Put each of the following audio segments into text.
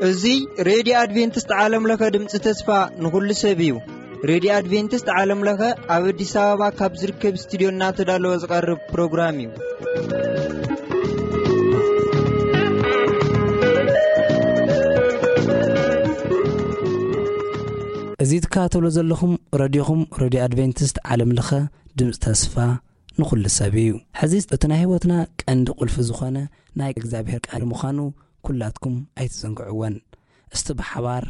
እዚ ሬድዮ ኣድቬንቲስት ዓለም ለኸ ድምፂ ተስፋ ንኹሉ ሰብ እዩ። ሬድዮ ኣድቬንቲስት ዓለም ለኸ ኣብ ኣዲስ ኣበባ ካብ ዝርከብ ስቱዲዮ እናተዳለወ ዝቐርብ ፕሮግራም እዩ። እዚ ትከታተሎ ዘለኹም ረድዮኹም ሬድዮ ኣድቬንቲስት ዓለም ለኸ ድምፂ ተስፋ ንኹሉ ሰብ እዩ። ሕዚ እቲ ናይ ህይወትና ቀንዲ ቁልፊ ዝኾነ ናይ እግዚኣብሔር ቃል ምዃኑ ኩላትኩም ኣይትዘንግዕወን። እስቲ ብሓባር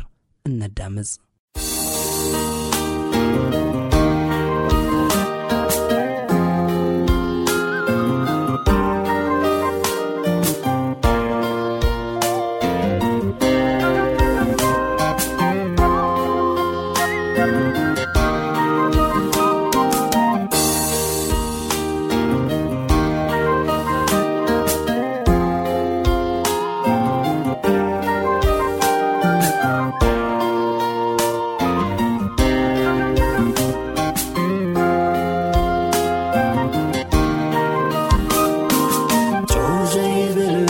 እነዳምፅ። ጨው ዘይብሉ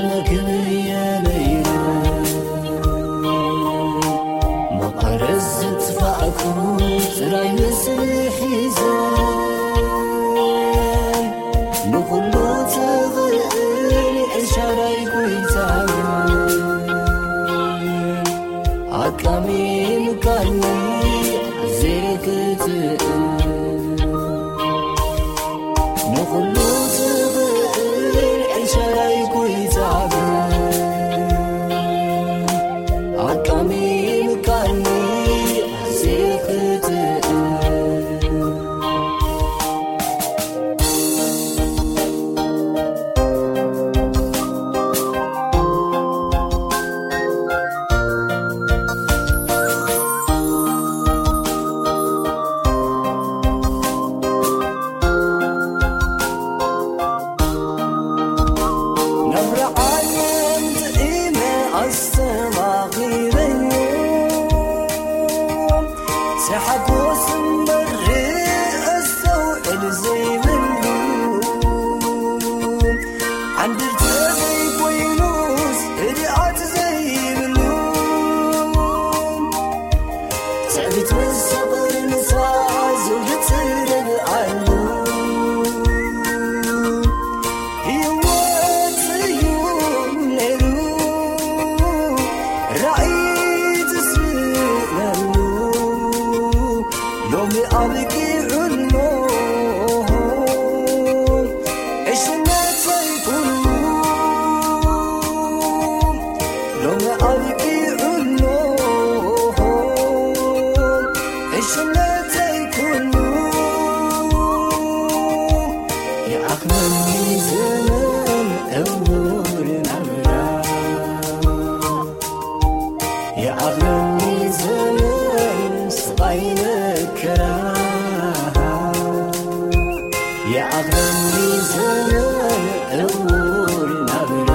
መግቢ የለይን። መቐረት ዝጥፋእኩ ጥራይ ንስኒ ሒዘ፣ ንኹሉ ትኽእል ኤልሻዳይ ጎይታ፣ ኣቃሚምካኒ ዘይክትእ ንኹሉ ትኽእል ኤልሻዳይ ጎይታ፣ ኣቃሚምካኒ ዘይክትእ። ናብራ ዓለም ጥዒመ ኣስተማቒረዮ፣ ሰሓጎስ እምበር ኣስተውዕል ዘይብሉ፣ ዓንድርተ ዘይኮይኑስ ህድኣት ዘይብሉ፣ ትዕቢት ምስ ፍቕሪ ንሳ ዘውዲ ትረግኣሉ። ህይወት እዩ ነይሩ ራእይ ትስእነሉ፣ ሎሚ ኣብቂዑ ኣሎ። ዕሽነተይ ኩሉ ሎሚ ኣብቂዑ ኣሎ። ዕሽነተይ ኩሉ ይኣኽለኒ ዘመን ዕውር ናብራ። ይኣኽለኒ ዘመን ስቓይ መከራ፣ ይኣኽለኒ ዘመን ዕውር ናብራ፣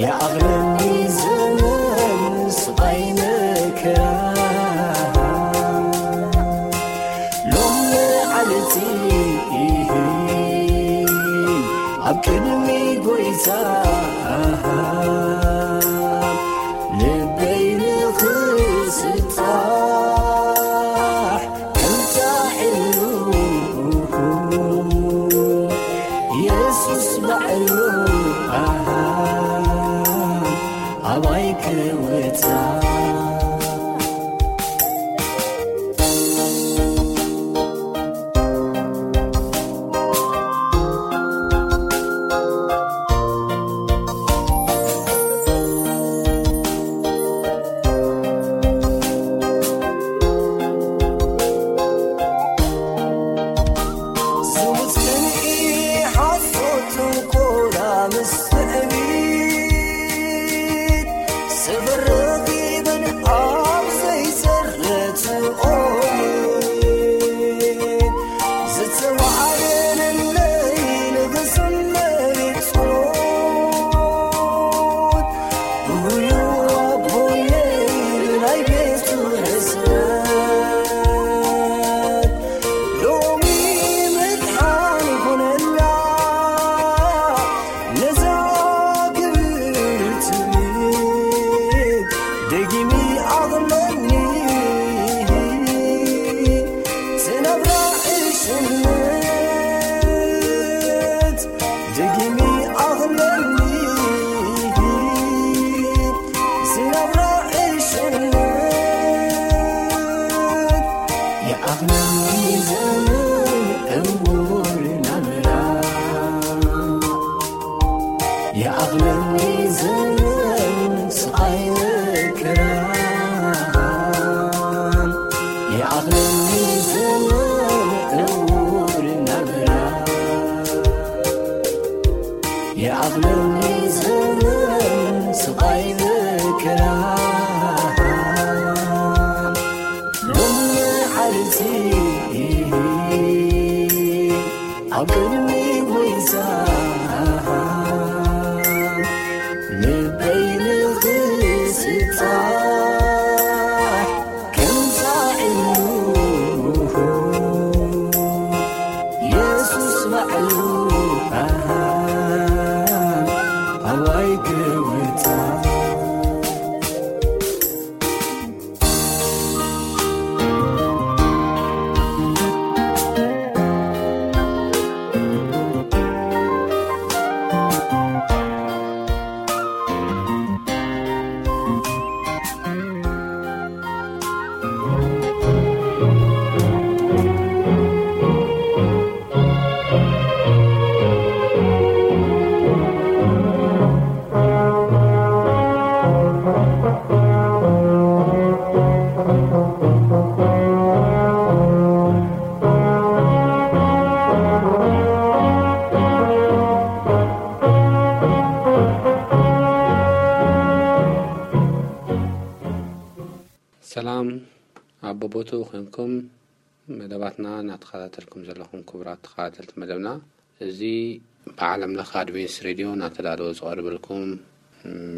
ይኣኽለኒ ዘመን ስቓይ መከራ። ሎም መዓልቲ ኣብ ቅድሚ ጎይታ ልበይ ንኽስጣሕ ከምታ ዕሉ የሱስ ባዕሉ ኣባይ ክወጻ። ኣብ ቅድሚ ጎይታ ልበይ ንኽስጣሕ ከምዛ ኢሉ የሱስ ባዕሉ ኣባይ ክውታ። ሰላም፣ ኣብ ቦቦቱ ኮንኩም መደባትና እናተኸታተልኩም ዘለኹም ክቡራት ተኸታተልቲ መደብና፣ እዚ ብዓለም ለኸ ኣድቬንስ ሬድዮ እናተዳለወ ዝቐርበልኩም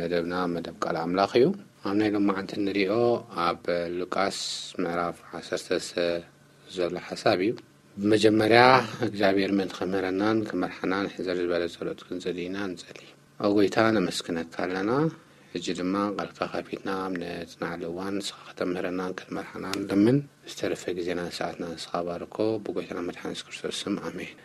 መደብና መደብ ቃል ኣምላኽ እዩ። ኣብ ናይ ሎማዓንቲ እንሪኦ ኣብ ሉቃስ ምዕራፍ ዓሰርተ ዘሎ ሓሳብ እዩ። ብመጀመርያ እግዚኣብሔር ምእንቲ ክምህረናን ክመርሓናን ሕዘር ዝበለ ጸሎት ክንጸሊ ኢና ንጸሊ። ኦ ጎይታ ነመስግነካ ኣለና። ሕጂ ድማ ቃልካ ከፊትና ኣብ ነጽናዕሉ እዋን ንስኻ ከተምህረናን ክትመርሓናን ንለምን። ዝተረፈ ግዜናን ሰዓትና ንስኻ ባርኮ። ብጎይታና መድሓን የሱስ ክርስቶስ ስም ኣሜን።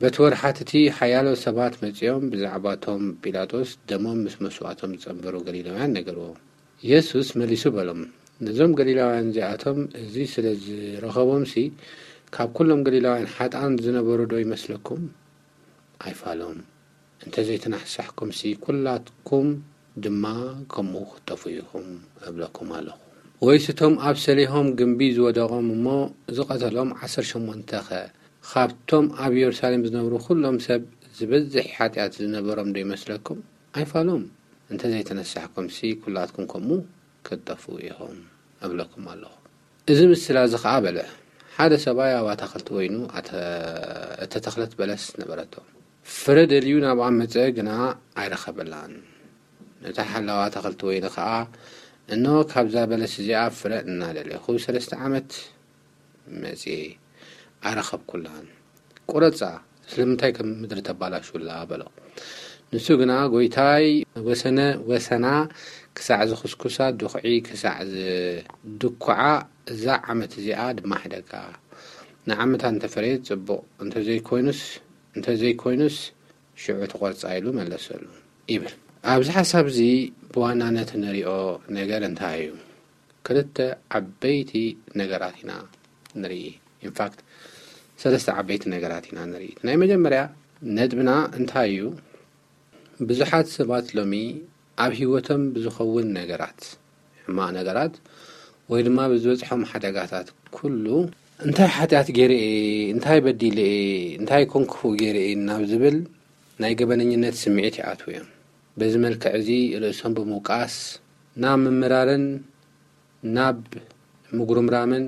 በቲ ወርሓት እቲ ሓያሎ ሰባት መጺኦም ብዛዕባቶም ጲላጦስ ደሞም ምስ መስዋእቶም ዝጸንበሩ ገሊላውያን ነገርዎም። የሱስ መሊሱ በሎም፣ ነዞም ገሊላውያን እዚኣቶም እዚ ስለ ዝረኸቦምሲ ካብ ኩሎም ገሊላውያን ሓጥኣን ዝነበሩ ዶ ይመስለኩም? ኣይፋሎም። እንተ ዘይተናሕሳሕኩምሲ ኩላትኩም ድማ ከምኡ ክትጠፍኡ ኢኹም እብለኩም ኣለኹ። ወይስ እቶም ኣብ ሰሊሆም ግምቢ ዝወደቖም እሞ ዝቐተሎም ዓሰርተ ሸሞንተ ኸ ካብቶም ኣብ የሩሳሌም ዝነብሩ ኩሎም ሰብ ዝበዝሕ ሓጢኣት ዝነበሮም ዶ ይመስለኩም? ኣይፋሎም። እንተ ዘይተነሳሕኩምሲ ኩላትኩም ከምኡ ክትጠፍኡ ኢኹም እብለኩም ኣለኹ። እዚ ምስላ እዚ ኸኣ በለ፣ ሓደ ሰብኣይ ኣብ ኣታኽልቲ ወይኑ ኣተ-፣ እተተኽለት በለስ ነበረቶ። ፍረ ደልዩ ናብኣ መጸ፣ ግና ኣይረኸበላን። ነታ ሓላዋ ኣታኽልቲ ወይኒ ኸኣ፣ እንሆ፣ ካብዛ በለስ እዚኣ ፍረ እናደለኹ ሰለስተ ዓመት መጺኤ፣ ኣይረኸብኩላን። ቁረጻ፣ ስለምንታይ ከም ምድሪ ተባላሹላ? በሎ። ንሱ ግና፣ ጐይታይ፣ ወሰነ-፣ ወሰና ክሳዕ ዝኹስኩሳ፣ ድኹዒ ክሳዕ ዝድኩዓ፣ እዛ ዓመት እዚኣ ድማ ሕደጋ። ንዓመታ እንተ ፈረየት ጽቡቕ፣ እንተ ዘይኮይኑስ፣ እንተ ዘይኮይኑስ ሽዑ ትቖርጻ፣ ኢሉ መለሰሉ ይብል። ኣብዚ ሓሳብ እዚ ብዋናነት እንሪኦ ነገር እንታይ እዩ? ክልተ ዓበይቲ ነገራት ኢና ንርኢ። ኢንፋክት፣ ሰለስተ ዓበይቲ ነገራት ኢና ንርኢ። እቲ ናይ መጀመርያ ነጥብና እንታይ እዩ? ብዙሓት ሰባት ሎሚ ኣብ ህይወቶም ብዝኸውን ነገራት፣ ሕማቕ ነገራት፣ ወይ ድማ ብዝበጽሖም ሓደጋታት ኩሉ፣ እንታይ ሓጢኣት ገይረ እየ፣ እንታይ በዲለ እየ፣ እንታይ ኮን ክፉእ ገይረ እየ ናብ ዝብል ናይ ገበነኝነት ስምዒት ይኣትዉ እዮም። በዚ መልክዕ እዚ ርእሶም ብምውቃስ ናብ ምምራርን ናብ ምጉርምራምን፣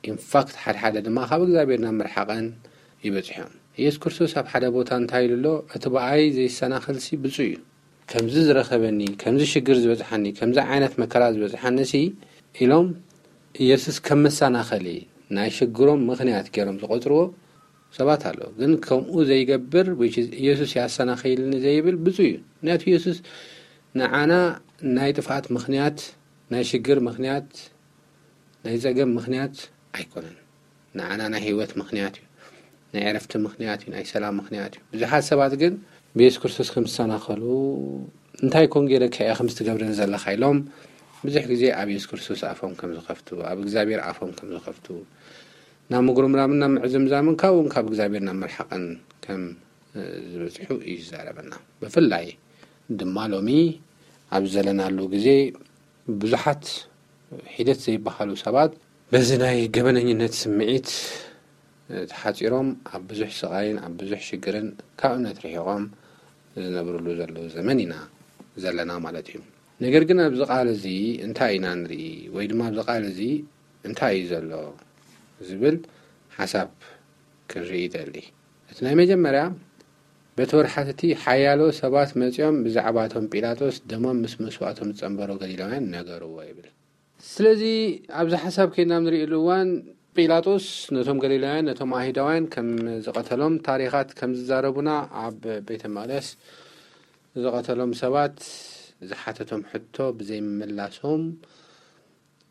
ኢንፋክት ሓድሓደ ድማ ካብ እግዚኣብሔር ናብ ምርሓቐን ይበጽሑ እዮም። ኢየሱስ ክርስቶስ ኣብ ሓደ ቦታ እንታይ ኢሉ ኣሎ? እቲ ብኣይ ዘይሰናኸልሲ ብፁዕ እዩ። ከምዚ ዝረኸበኒ፣ ከምዚ ሽግር ዝበጽሓኒ፣ ከምዚ ዓይነት መከራ ዝበጽሓኒሲ ኢሎም ኢየሱስ ከም መሰናኸሊ ናይ ሽግሮም ምኽንያት ገይሮም ዝቖጽርዎ ሰባት ኣሎ። ግን ከምኡ ዘይገብር፣ which is ኢየሱስ ያሰናኸይልኒ ዘይብል ብፁዕ እዩ። ምክንያቱ ኢየሱስ ንዓና ናይ ጥፍኣት ምኽንያት፣ ናይ ሽግር ምኽንያት፣ ናይ ጸገም ምኽንያት ኣይኮነን። ንዓና ናይ ህይወት ምኽንያት እዩ። ናይ ዕረፍቲ ምኽንያት እዩ። ናይ ሰላም ምኽንያት እዩ። ብዙሓት ሰባት ግን ብየሱስ ክርስቶስ ከም ዝሰናኸሉ፣ እንታይ ኮን ገይረካ እየ ከምዚ ትገብረኒ ዘለኻ ኢሎም ብዙሕ ግዜ ኣብ የሱስ ክርስቶስ ኣፎም ከም ዝኸፍቱ፣ ኣብ እግዚኣብሔር ኣፎም ከም ዝኸፍቱ፣ ናብ ምጉርምራምን ናብ ምዕዝምዛምን ካብኡን ካብ እግዚኣብሔር ናብ ምርሓቕን ከም፣ እ፣ ዝበጽሑ እዩ ዝዛረበና። ብፍላይ ድማ ሎሚ ኣብ ዘለናሉ ግዜ ብዙሓት ሒደት ዘይበሃሉ ሰባት በዚ ናይ ገበነኝነት ስምዒት፣ እ፣ ተሓጺሮም ኣብ ብዙሕ ስቓይን ኣብ ብዙሕ ሽግርን ካብ እምነት ርሒቖም ዝነብርሉ ዘለዉ ዘመን ኢና ዘለና ማለት እዩ። ነገር ግን ኣብዚ ቃል እዚ እንታይ ኢና ንርኢ? ወይ ድማ ኣብዚ ቃል እዚ እንታይ እዩ ዘሎ? ዝብል ሓሳብ ክንርኢ ይደሊ። እቲ ናይ መጀመርያ፣ በቲ ወርሓት እቲ ሓያሎ ሰባት መጺኦም ብዛዕባ እቶም ጲላጦስ ደሞም ምስ መስዋእቶም ዝጸንበሮ ገሊላውያን ነገርዎ ይብል። ስለዚ ኣብዚ ሓሳብ ከይድና ንርእየሉ እዋን፣ ጲላጦስ ነቶም ገሊላውያን፣ ነቶም ኣይሁዳውያን ከም ዝቐተሎም ታሪኻት ከም ዝዛረቡና፣ ኣብ ቤተ መቕደስ ዝቐተሎም ሰባት ዝሓተቶም ሕቶ ብዘይምምላሶም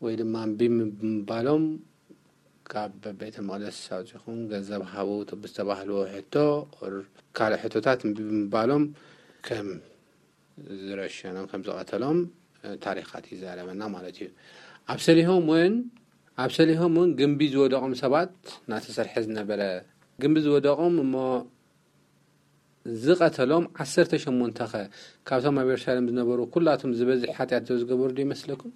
ወይ ድማ እምቢ ብምባሎም፣ ካብ ቤተ መቕደስ ኣውጺኹም ገንዘብ ሃቡ ብዝተባህልዎ ሕቶ፣ ካልእ ሕቶታት እምቢ ብምባሎም ከም ዝረሸኖም፣ ከም ዝቐተሎም ታሪኻት ይዛረበና ማለት እዩ። ኣብ ሰሊሆም እውን ኣብ ሰሊሆም እውን ግንቢ ዝወደቖም ሰባት እናተሰርሐ ዝነበረ፣ ግንቢ ዝወደቖም እሞ ዝቐተሎም ዓሰርተ ሸሞንተ ከ ካብቶም ኣብ የሩሳሌም ዝነበሩ ኩላቶም ዝበዝሕ ሓጢኣት ዶ ዝገበሩ ዶ ይመስለኩም?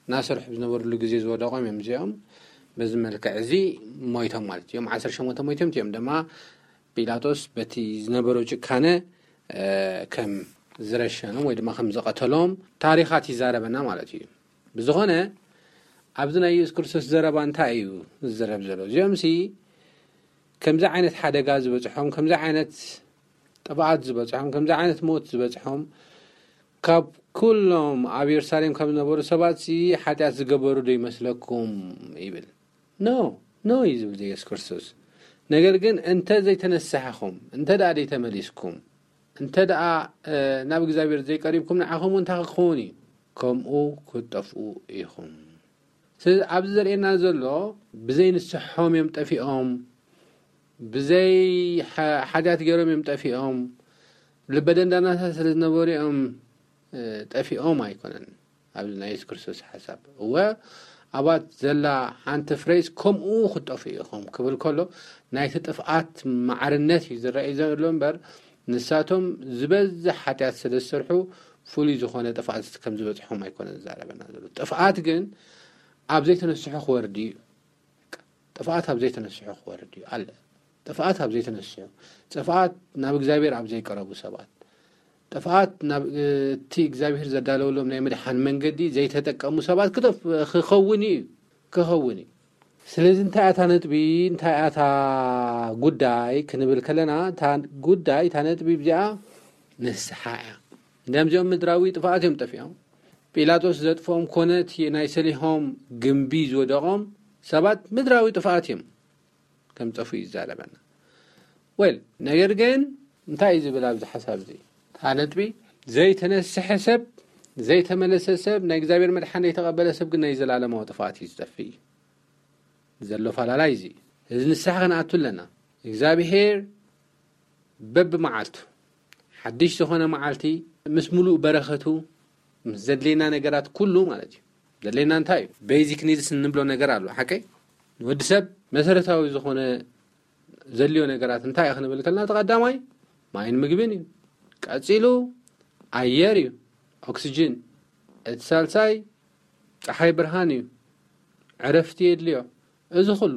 እናሰርሑ ዝነበሩሉ ግዜ ዝወደቖም እዮም እዚኦም። በዚ መልክዕ እዚ ሞይቶም ማለት እዮም። ዓሰርተ ሸሞንተ ሞይቶም እዮም ድማ ጲላጦስ በቲ ዝነበሮ ጭካነ ከም ዝረሸኖም ወይ ድማ ከም ዝቐተሎም ታሪኻት ይዛረበና ማለት እዩ። ብዝኾነ ኣብዚ ናይ የሱስ ክርስቶስ ዘረባ እንታይ እዩ ዝዘረብ ዘሎ? እዚኦም ሲ ከምዚ ዓይነት ሓደጋ ዝበፅሖም፣ ከምዚ ዓይነት ጥፍኣት ዝበፅሖም፣ ከምዚ ዓይነት ሞት ዝበፅሖም ካብ ኩሎም ኣብ የሩሳሌም ካብ ዝነበሩ ሰባት ሲ ሓጢኣት ዝገበሩ ዶ ይመስለኩም ይብል። ኖ፣ ኖ እዩ ዝብል የሱስ ክርስቶስ። ነገር ግን እንተ ዘይተነሳሕኹም፣ እንተ ደኣ ዘይተመሊስኩም፣ እንተ ደኣ ናብ እግዚኣብሔር ዘይቀሪብኩም ንዓኹም እንታይ ክኸውን እዩ? ከምኡ ክትጠፍኡ ኢኹም። ስለዚ ኣብዚ ዘርእየና ዘሎ ብዘይ ንስሖም እዮም ጠፊኦም፣ ብዘይ ሓጢኣት ገይሮም እዮም ጠፊኦም፣ ልበ ደንዳናታት ስለ ዝነበሩ እዮም ጠፊኦም ኣይኮነን። ኣብዚ ናይ የሱስ ክርስቶስ ሓሳብ እወ ኣባት ዘላ ሓንቲ ፍሬስ ከምኡ ክትጠፍኡ ኢኹም ክብል ከሎ ናይቲ ጥፍኣት ማዕርነት እዩ ዝረኣይ ዘሎ እምበር ንሳቶም ዝበዝሕ ሓጢኣት ስለ ዝሰርሑ ፍሉይ ዝኾነ ጥፍኣት ከም ዝበፅሖም ኣይኮነን ዝዛረበና ዘሎ። ጥፍኣት ግን ኣብ ዘይተነስሑ ክወርድ እዩ። ጥፍኣት ኣብ ዘይተነስሑ ክወርድ እዩ ኣለ። ጥፍኣት ኣብ ዘይተነስሑ፣ ጥፍኣት ናብ እግዚኣብሔር ኣብ ዘይቀረቡ ሰባት፣ ጥፍኣት ናብ እቲ እግዚኣብሔር ዘዳለወሎም ናይ ምድሓን መንገዲ ዘይተጠቀሙ ሰባት ክጠፍ ክኸውን እዩ ክኸውን እዩ። ስለዚ እንታይ ኣታ ነጥቢ እንታይ ኣታ ጉዳይ ክንብል ከለና እታ ጉዳይ እታ ነጥቢ እዚኣ ንስሓ እያ። እንዲያም እዚኦም ምድራዊ ጥፍኣት እዮም ጠፊኦም። ጲላጦስ ዘጥፍኦም ኮነ እቲ ናይ ሰሊሆም ግንቢ ዝወደቖም ሰባት ምድራዊ ጥፍኣት እዮም ከም ጠፉ ይዛረበና። ወል ነገር ግን እንታይ እዩ ዝብል ኣብዚ ሓሳብ እዚ እታ ነጥቢ ዘይተነስሐ ሰብ ዘይተመለሰ ሰብ ናይ እግዚኣብሔር መድሓን ዘይተቐበለ ሰብ ግን ናይ ዘላለማዊ ጥፍኣት እዩ ዝጠፍእ እዩ። ዘሎ ፋላላይ እዚ እዚ ንስሓ ክንኣቱ ኣለና። እግዚኣብሔር በብመዓልቱ ሓድሽ ዝኾነ መዓልቲ ምስ ሙሉእ በረኸቱ ምስ ዘድልየና ነገራት ኩሉ ማለት እዩ። ዘድልየና እንታይ እዩ? ቤዚክ ኒድስ እንብሎ ነገር ኣሎ ሓቀይ ንወዲ ሰብ መሰረታዊ ዝኾነ ዘድልዮ ነገራት እንታይ እዩ ክንብል ከልና ተቐዳማይ ማይን ምግብን እዩ። ቀፂሉ ኣየር እዩ፣ ኦክስጅን። እቲ ሳልሳይ ፀሓይ ብርሃን እዩ፣ ዕረፍቲ የድልዮ። እዚ ኩሉ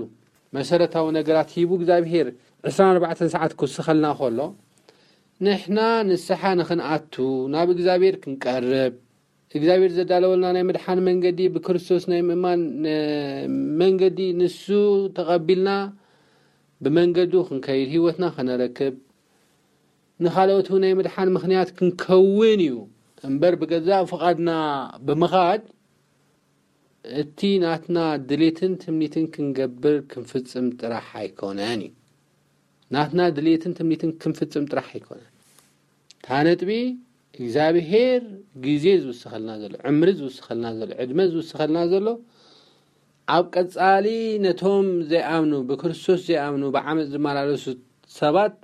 መሰረታዊ ነገራት ሂቡ እግዚኣብሄር ዕስራን ኣርባዕተን ሰዓት ክውስኸልና ከሎ ንሕና ንስሓ ንኽንኣቱ ናብ እግዚኣብሔር ክንቀርብ እግዚኣብሔር ዘዳለወልና ናይ ምድሓን መንገዲ ብክርስቶስ ናይ ምእማን መንገዲ ንሱ ተቐቢልና ብመንገዱ ክንከይድ ህይወትና ከነረክብ ንኻልኦት ናይ ምድሓን ምኽንያት ክንከውን እዩ እምበር ብገዛእ ፍቓድና ብምኻድ እቲ ናትና ድሌትን ትምኒትን ክንገብር ክንፍጽም ጥራሕ ኣይኮነን እዩ። ናትና ድሌትን ትምኒትን ክንፍጽም ጥራሕ ኣይኮነን። እታ ነጥቢ እግዚኣብሄር ግዜ ዝውስኸልና ዘሎ ዕምሪ ዝውስኸልና ዘሎ ዕድመ ዝውስኸልና ዘሎ ኣብ ቀጻሊ ነቶም ዘይኣምኑ ብክርስቶስ ዘይኣምኑ ብዓመፅ ዝመላለሱ ሰባት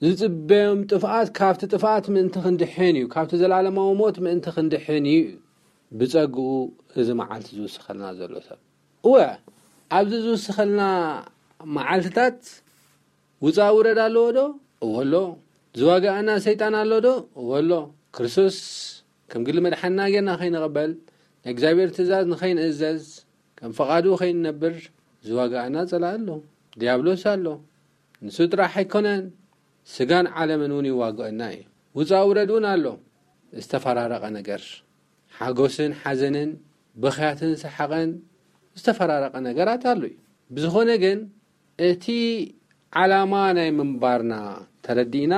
ዝጽበዮም ጥፍኣት ካብቲ ጥፍኣት ምእንቲ ክንድሕን እዩ፣ ካብቲ ዘላለማዊ ሞት ምእንቲ ክንድሕን እዩ። ብጸግኡ እዚ መዓልቲ ዝውስኸልና ዘሎ ሰብ እወ ኣብዚ ዝውስኸልና መዓልትታት ውፃእ ውረድ ኣለዎ ዶ? እወ ኣሎ። ዝዋጋኣና ሰይጣን ኣሎ ዶ? እወ ኣሎ። ክርስቶስ ከም ግሊ መድሓንና ጌርና ከይንቕበል ናይ እግዚኣብሔር ትእዛዝ ንኸይንእዘዝ ከም ፈቓዱ ከይንነብር ዝዋጋኣና ጸላኢ ኣሎ። ዲያብሎስ ኣሎ። ንሱ ጥራሕ ኣይኮነን፣ ስጋን ዓለምን እውን ይዋግአና እዩ። ውፃእ ውረድ እውን ኣሎ። ዝተፈራረቐ ነገር፣ ሓጎስን ሓዘንን፣ ብኽያትን ሰሓቐን፣ ዝተፈራረቐ ነገራት ኣሎ እዩ። ብዝኾነ ግን እቲ ዓላማ ናይ ምንባርና ተረዲእና፣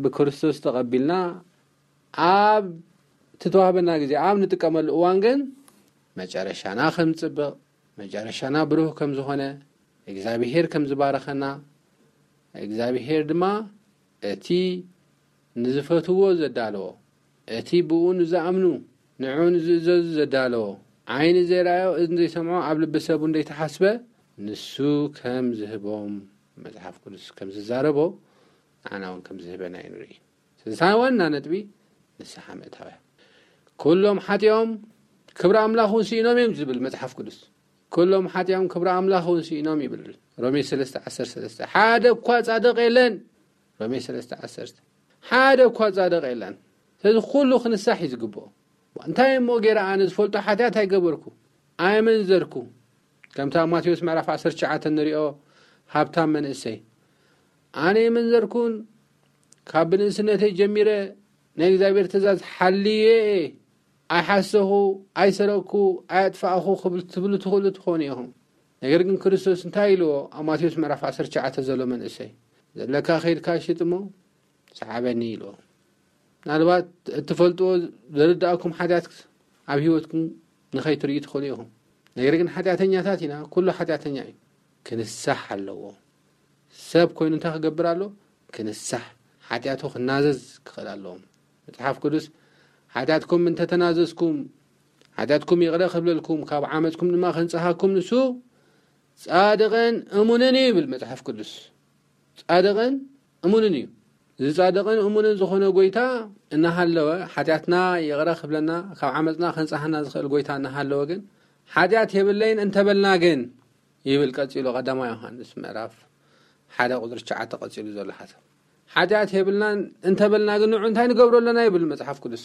ብክርስቶስ ተቐቢልና፣ ኣብ ትተዋህበና ግዜ ኣብ ንጥቀመሉ እዋን ግን መጨረሻና ከም ዝጽብቕ፣ መጨረሻና ብሩህ ከም ዝኾነ፣ እግዚኣብሄር ከም ዝባረኸና፣ እግዚኣብሄር ድማ እቲ ንዝፈትዎ ዘዳለዎ፣ እቲ ብኡ ንዝኣምኑ፣ ንዕኡ ንዝእዘዙ ዘዳለዎ፣ ዓይኒ ዘይረኣዮ፣ እዝኒ ዘይሰምዖ፣ ኣብ ልቢ ሰብ እውን ዘይተሓስበ፣ ንሱ ከም ዝህቦም መጽሓፍ ቅዱስ ከም ዝዛረቦ፣ ንዓና እውን ከም ዝህበና እዩ ንርኢ። ስለዚ ዋና ነጥቢ ንስሓ ምእታው እያ። "ኩሎም ሓጢኦም ክብሪ ኣምላኽ እውን ስኢኖም እዮም" ዝብል መጽሓፍ ቅዱስ። "ኩሎም ሓጢኦም ክብሪ ኣምላኽ እውን ስኢኖም" ይብል ሮሜ ሰለስተ ዓሰርተ ሰለስተ። "ሓደ እኳ ጻድቕ የለን" ሮሜ ሰለስተ ዓሰርተ። "ሓደ እኳ ጻድቕ የለን" ስለዚ ኩሉ ክንሳሕ እዩ ዝግብኦ። "እንታይ እሞ ገይረ ኣነ ዝፈልጦ ሓጢኣት ኣይገበርኩ፣ ኣይመንዘርኩ" ከምቲ ኣብ ማቴዎስ ምዕራፍ ዓሰርተ ትሽዓተ ንሪኦ ሃብታም መንእሰይ "ኣነ ኣይመንዘርኩን፣ ካብ ብንእስነተይ ጀሚረ ናይ እግዚኣብሔር ትእዛዝ ሓልየ እየ፣ ኣይሓሰኹ፣ ኣይሰረቅኩ፣ ኣየጥፋእኹ" ክብል ትብሉ ትኽእሉ ትኾኑ ኢኹም። ነገር ግን ክርስቶስ እንታይ ኢልዎ? ኣብ ማቴዎስ ምዕራፍ ዓሰርተ ትሽዓተ ዘሎ መንእሰይ "ዘለካ ከይድካ ሽጥ እሞ ሰዓበኒ" ኢልዎ። ምናልባት እትፈልጥዎ ዘርድኣኩም ሓጢኣት ኣብ ህይወትኩም ንኸይትርእዩ ትኽእሉ ኢኹም። ነገር ግን ሓጢኣተኛታት ኢና፣ ኩሉ ሓጢኣተኛ እዩ። ክንሳሕ ኣለዎ። ሰብ ኮይኑ እንታይ ክገብር ኣሎ? ክንሳሕ፣ ሓጢኣቱ ክናዘዝ ክኽእል ኣለዎ። መጽሓፍ ቅዱስ "ሓጢኣትኩም እንተተናዘዝኩም፣ ሓጢኣትኩም ይቕረ ክብለልኩም፣ ካብ ዓመፅኩም ድማ ከንጽሃኩም ንሱ ጻድቕን እሙንን እዩ" ይብል መጽሓፍ ቅዱስ። ጻድቕን እሙንን እዩ። እዚ ጻድቕን እሙንን ዝኾነ ጎይታ እናሃለወ፣ ሓጢኣትና ይቕረ ክብለና፣ ካብ ዓመፅና ከንጽሃና ዝኽእል ጎይታ እናሃለወ ግን፣ "ሓጢኣት የብለይን እንተበልና ግን" ይብል ቀጺሉ ቀዳማይ ዮሃንስ ምዕራፍ ሓደ ቁጽሪ ትሽዓተ ቀጺሉ ዘሎ ሓሳብ። "ሓጢኣት የብልናን እንተበልና ግን ንዑ እንታይ ንገብሮ ኣለና?" ይብል መጽሓፍ ቅዱስ።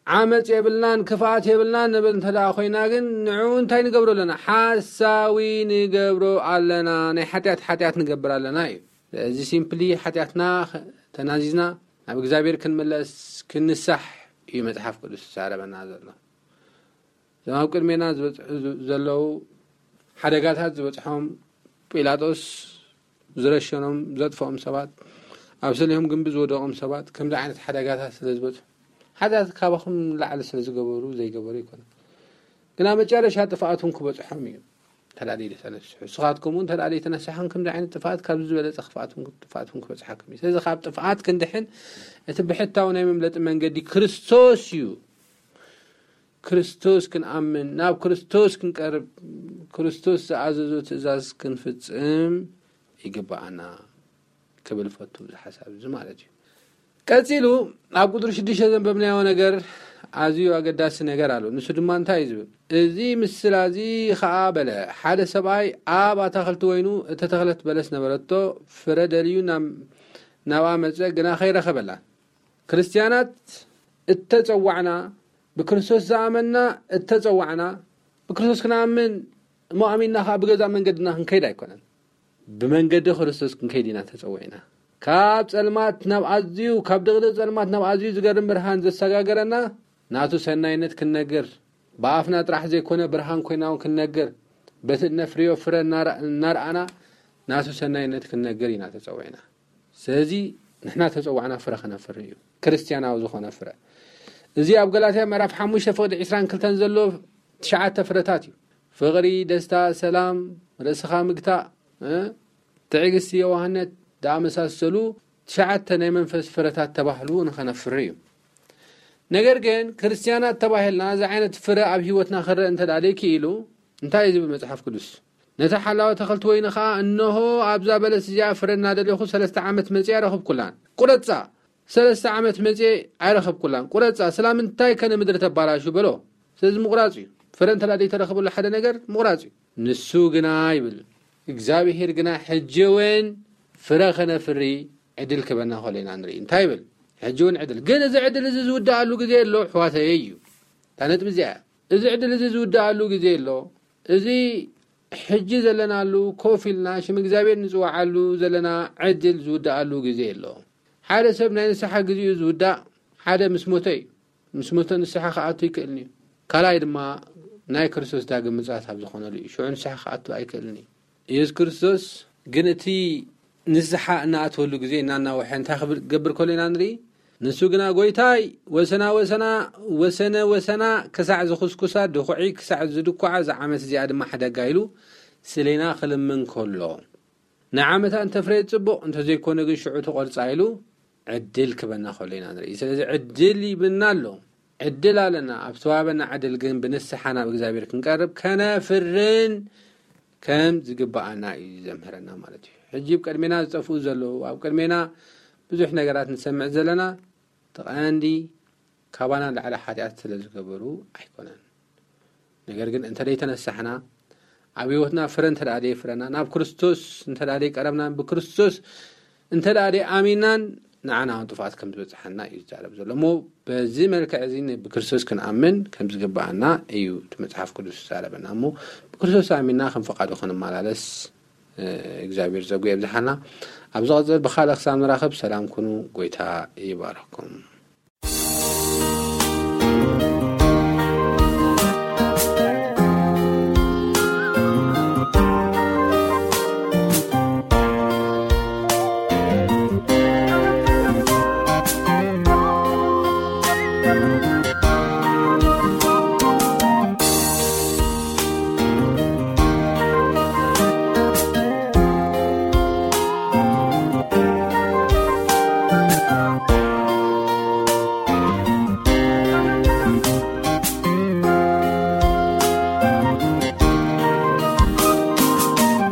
"ዓመጽ የብልናን ክፍኣት የብልናን ንብል እንተ ደኣ ኮይና ግን ንዑ እንታይ ንገብሮ ኣለና? ሓሳዊ ንገብሮ ኣለና፣ ናይ ሓጢኣት ሓጢኣት ንገብር ኣለና" እዩ። ስለዚ ሲምፕሊ ሓጢኣትና ተናዚዝና ናብ እግዚኣብሔር ክንምለስ፣ ክንሳሕ እዩ መጽሓፍ ቅዱስ ዝዛረበና ዘሎ። እዞም ኣብ ቅድሜና ዝበጽሑ ዘለዉ ሓደጋታት ዝበጽሖም፣ ጲላጦስ ዝረሸኖም፣ ዘጥፍኦም ሰባት፣ ኣብ ሰሊሆም ግንቢ ዝወደቖም ሰባት ከምዚ ዓይነት ሓደጋታት ስለ ዝበጽሑ፣ ሓጢኣት ካባኹም ንላዕሊ ስለ ዝገበሩ ዘይገበሩ ኣይኮነን። ግና መጨረሻ ጥፍኣቶም ክበጽሖም እዩ ተላልዩ ዝተነስሑ። ንስኻትኩም እውን ተላልዩ ተነሳሕን ከምዚ ዓይነት ጥፍኣት፣ ካብዚ ዝበለጸ ክፍኣትኩም ጥፍኣትኩም ክበጽሓኩም እዩ። ስለዚ ካብ ጥፍኣት ክንድሕን እቲ ብሕታዊ ናይ መምለጢ መንገዲ ክርስቶስ እዩ። ክርስቶስ ክንኣምን፣ ናብ ክርስቶስ ክንቀርብ፣ ክርስቶስ ዝኣዘዞ ትእዛዝ ክንፍጽም ይግብኣና ክብል ፈቱ። እዚ ሓሳብ እዚ ማለት እዩ። ቀጺሉ ኣብ ቁጽሪ ሽዱሽተ ዘንበብናዮ ነገር ኣዝዩ ኣገዳሲ ነገር ኣሎ። ንሱ ድማ እንታይ እዩ ዝብል? "እዚ ምስላ እዚ ኸኣ በለ፣ ሓደ ሰብኣይ ኣብ ኣታኽልቲ ወይኑ እተተኽለት በለስ ነበረቶ፣ ፍረ ደልዩ ናብ-፣ ናብኣ መጸ፣ ግና ከይረኸበላን።" ክርስትያናት እተጸዋዕና፣ ብክርስቶስ ዝኣመንና እተጸዋዕና፣ ብክርስቶስ ክንኣምን እሞ ኣሚንና ኸኣ ብገዛእ መንገድና ክንከይድ ኣይኮነን። ብመንገዲ ክርስቶስ ክንከይድ ኢና ተጸዊዕና። ካብ ጸልማት ናብ ኣዝዩ፣ ካብ ድቕድቕ ጸልማት ናብ ኣዝዩ ዝገርም ብርሃን ዘሰጋገረና ናቱ ሰናይነት ክንነግር፣ ብኣፍና ጥራሕ ዘይኮነ ብርሃን ኮይና እውን ክንነግር፣ በቲ እነፍርዮ ፍረ እናረ-፣ እናረኣና ናቱ ሰናይነት ክንነግር ኢና ተጸዊዕና። ስለዚ ንሕና ተጸዋዕና ፍረ ከነፍሪ እዩ። ክርስትያናዊ ዝኾነ ፍረ። እዚ ኣብ ገላትያ ምዕራፍ ሓሙሽተ ፍቕዲ ዕስራን ክልተን ዘሎ ትሽዓተ ፍረታት እዩ። ፍቕሪ፣ ደስታ፣ ሰላም፣ ርእስኻ ምግታእ፣ እ፣ ትዕግስቲ፣ የዋህነት ዝኣመሳሰሉ ትሽዓተ ናይ መንፈስ ፍረታት ተባህሉ ንኸነፍሪ እዩ። ነገር ግን ክርስትያናት ተባሂልና እዚ ዓይነት ፍረ ኣብ ህይወትና ክረአ እንተ ደኣ ዘይክኢሉ እንታይ እዩ ዝብል መጽሓፍ ቅዱስ? ነቲ ሓላዊ ኣታኽልቲ ወይኒ ኸኣ፣ "እንሆ ኣብዛ በለስ እዚኣ ፍረ እናደለኹ ሰለስተ ዓመት መጺኤ ኣይረኸብኩላን። ቁረጻ፣ ሰለስተ ዓመት መጺኤ ኣይረኸብኩላን። ቁረጻ፣ ስላምንታይ ከ ንምድሪ ተባላሹ?" በሎ። ስለዚ ምቑራጽ እዩ። ፍረ እንተ ደኣ ዘይተረኽበሉ ሓደ ነገር ምቑራጽ እዩ። ንሱ ግና ይብል፣ እግዚኣብሄር ግና ሕጂ እውን ፍረ ኸነፍሪ ዕድል ክበና ከሎ ኢና ንርኢ። እንታይ ይብል? ሕጂ እውን ዕድል። ግን እዚ ዕድል እዚ ዝውድኣሉ ግዜ ኣሎ፣ ኣሕዋተየ እዩ። እታ ነጥቢ እዚኣ እያ። እዚ ዕድል እዚ ዝውድኣሉ ግዜ ኣሎ። እዚ ሕጂ ዘለናሉ፣ ኮፍ ኢልና ሽም እግዚኣብሔር ንጽውዓሉ ዘለና ዕድል ዝውድኣሉ ግዜ ኣሎ። ሓደ ሰብ ናይ ንስሓ ግዜኡ ዝውዳእ ሓደ ምስ ሞተ እዩ። ምስ ሞተ ንስሓ ክኣቱ ኣይክእልን እዩ። ካልኣይ ድማ ናይ ክርስቶስ ዳግም ምጽኣት ኣብ ዝኾነሉ እዩ። ሽዑ ንስሓ ክኣቱ ኣይክእልን እዩ። ኢየሱስ ክርስቶስ ግን እቲ ንስሓ እናኣተወሉ ግዜ እናናወሐ እንታይ ክብል- ክገብር ከሎ ኢና ንርኢ። ንሱ ግና "ጎይታይ፣ ወሰና ወሰና፣ ወሰነ ወሰና፣ ክሳዕ ዝኹስኩሳ ድኹዒ፣ ክሳዕ ዝድኩዓ፣ እዛ ዓመት እዚኣ ድማ ሕደጋ" ኢሉ ስሌና ክልምን ከሎ፣ "ንዓመታ እንተፍረየት ጽቡቕ፣ እንተዘይኮነ ግን ሽዑ ትቖርጻ" ኢሉ ዕድል ክበና ከሎ ኢና ንርኢ። ስለዚ ዕድል ይብና ኣሎ። ዕድል ኣለና። ኣብ ተዋበና ዕድል ግን ብንስሓ ናብ እግዚኣብሔር ክንቀርብ ከነፍርን ከም ዝግብኣና እዩ ዘምህረና ማለት እዩ። ሕጂ ኣብ ቅድሜና ዝጠፍኡ ዘለዉ፣ ኣብ ቅድሜና ብዙሕ ነገራት ንሰምዕ ዘለና፣ እቲ ቀንዲ ካባና ላዕሊ ሓጢኣት ስለ ዝገበሩ ኣይኮነን። ነገር ግን እንተ ደይተነሳሕና፣ ኣብ ህይወትና ፍረ እንተ ደኣ ደየፍረና፣ ናብ ክርስቶስ እንተ ደኣ ደይቀረብናን ብክርስቶስ እንተ ደኣ ደይኣሚናን፣ ንዓና እውን ጥፍኣት ከም ዝበጽሓና እዩ ዝዛረብ ዘሎ። እሞ በዚ መልክዕ እዚ ን- ብክርስቶስ ክንኣምን ከም ዝግብኣና እዩ እቲ መጽሓፍ ቅዱስ ዝዛረበና። እሞ ብክርስቶስ ኣሚንና ከም ፈቓዱ ክንመላለስ፣ እ፣ እግዚኣብሔር ጸጉ የብዝሓልና። ኣብ ዝቐጽል ብኻልእ ክሳብ ንራኸብ ሰላም ኩኑ። ጎይታ ይባርኽኩም።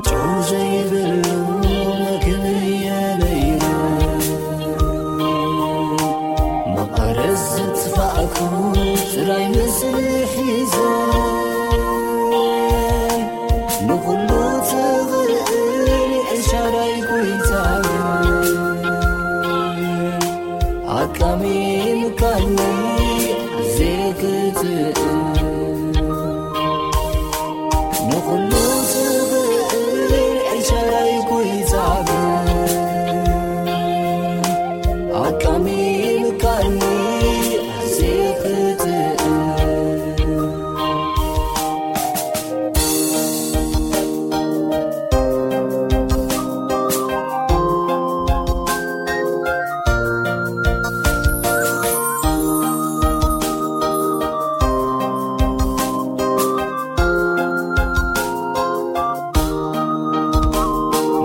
ጨው ዘይብሉ መግቢ የለይኑ፣ መቐረት ዝጥፋእኩ ጥራይ ምስሊ ሒዘ፣ ንኹሉ ትኽእል ኤልሻዳይ ጎይታ፣ ኣቃሚምካኒ ዘይክትእ። ንኹሉ ትኽእል ኤልሻዳይ ጎይታ፣ ኣቃሚምካኒ ዘይክትእ።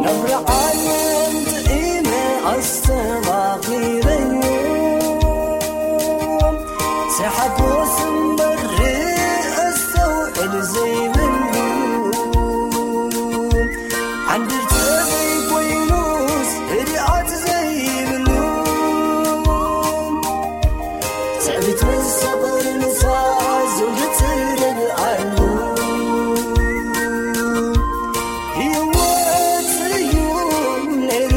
ነብሪ ዓለም ጥዒመ ኣስተባኺረዮ፣ ሰሓጎስ እምበር ኣስተውዕል ዘይብሉ፣ ዓንድር ተዘይኮይኑስ ህድኣት ዘይብሉ፣ ትዕቢት ምስ ሰፈር ንሳ ዘውዲ ትደብኣሉ፣ ህይወት እዩ ነይሩ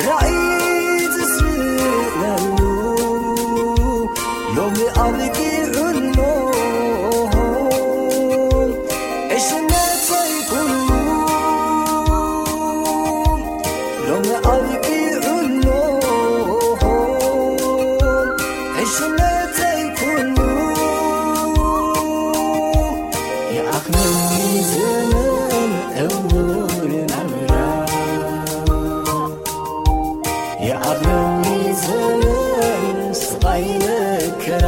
ራእይ ትስእነሉ፣ ሎሚ ኣብቂዑ ኣሎ ዕሽነተይ ኩሉ፣ ሎሚ ኣብቂዑ ኣሎ ዕሽነተይ ኩሉ። ይኣኽለኒ ዘመን ዕውር ናብራ፣ ይኣኽለኒ ዘመን ስቓይ መከራ፣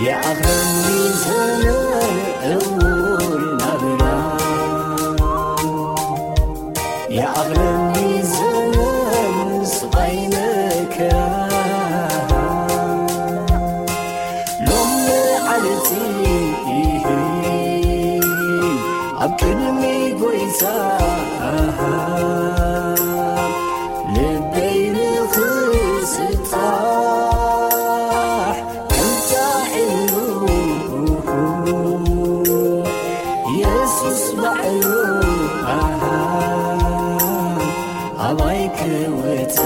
ይኣኽለኒ ዘመን ዕውር ናብራ፣ ይኣኽለኒ ዘመን ስቓይ መከራ። ሎም መዓልቲ ኣብ ቅድሚ ጎይታ ልበይ ንኽስጣሕ ከምታ ዕሉ የሱስ ባዕሉ ኣሃ ኣባይ ክወጻ።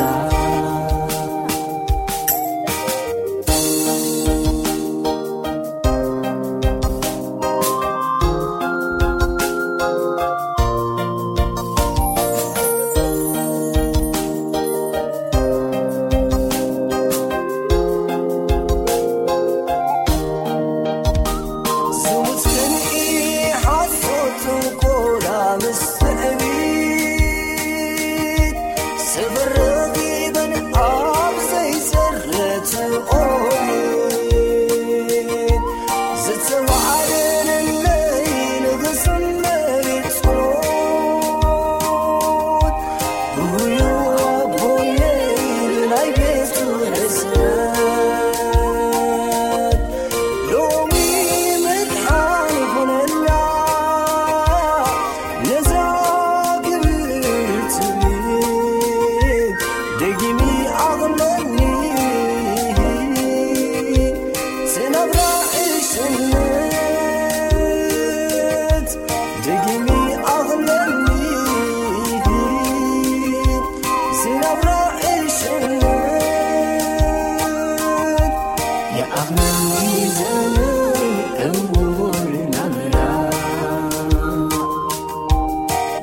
ዘመን ዕውር ናብራ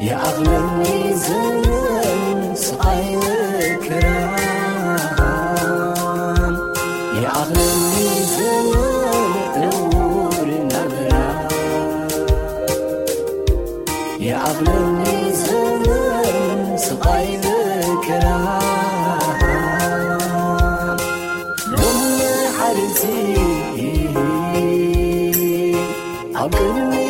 ይኣኽለኒ ዘመን ስቓይ መከራን ይኣኽለኒ ዘመን ዕውር ናብራ ይኣኽለኒ ዘመን ስቓይ መከራን ሎሚ ሓልቲ ኣብ ቅድሚ